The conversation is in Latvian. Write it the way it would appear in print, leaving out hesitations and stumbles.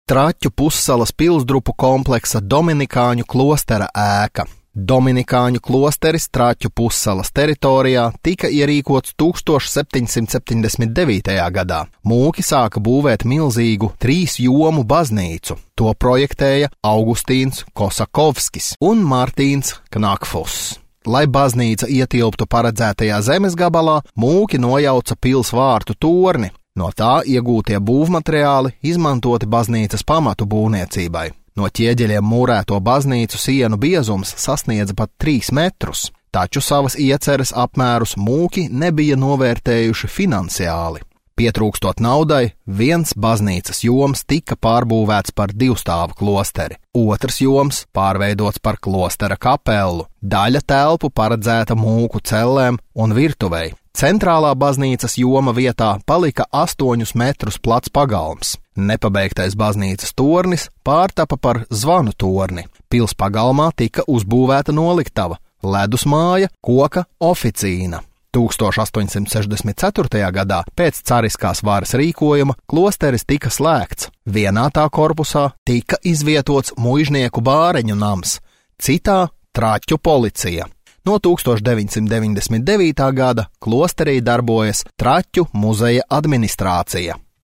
Traķu pussalas pilsdrupu kompleksa Dominikāņu klostera ēka. Dominikāņu klosteris Traķu pussalas teritorijā tika ierīkots 1779. gadā. Mūki sāka būvēt milzīgu 3 jomu baznīcu. To projektēja Augustīns Kosakovskis un Martīns Knakfuss. Lai baznīca ietilptu paredzētajā zemes gabalā, mūki nojauca pils vārtu torni. No tā iegūtie būvmateriāli izmantoti baznīcas pamatu būvniecībai. No ķieģeļiem mūrēto baznīcu sienu biezums sasniedza pat 3 metrus, taču savas ieceres apmērus mūki nebija novērtējuši finansiāli. Pietrūkstot naudai, viens baznīcas joms tika pārbūvēts par 2-stāvu klosteri, otrs joms pārveidots par klostera kapelu, daļa telpu paredzēta mūku cellēm un virtuvei. Centrālā baznīcas joma vietā palika 8 metrus plats pagalms. Nepabeigtais baznīcas tornis pārtapa par zvanu torni. Pils pagalmā tika uzbūvēta noliktava, ledus māja, koka oficīna. 1864. gadā pēc cariskās varas rīkojuma klosteris tika slēgts. Vienā tā korpusā tika izvietots muižnieku bāreņu nams, citā Traķu policija. No 1999. gada klosterī darbojas Traķu muzeja administrācija.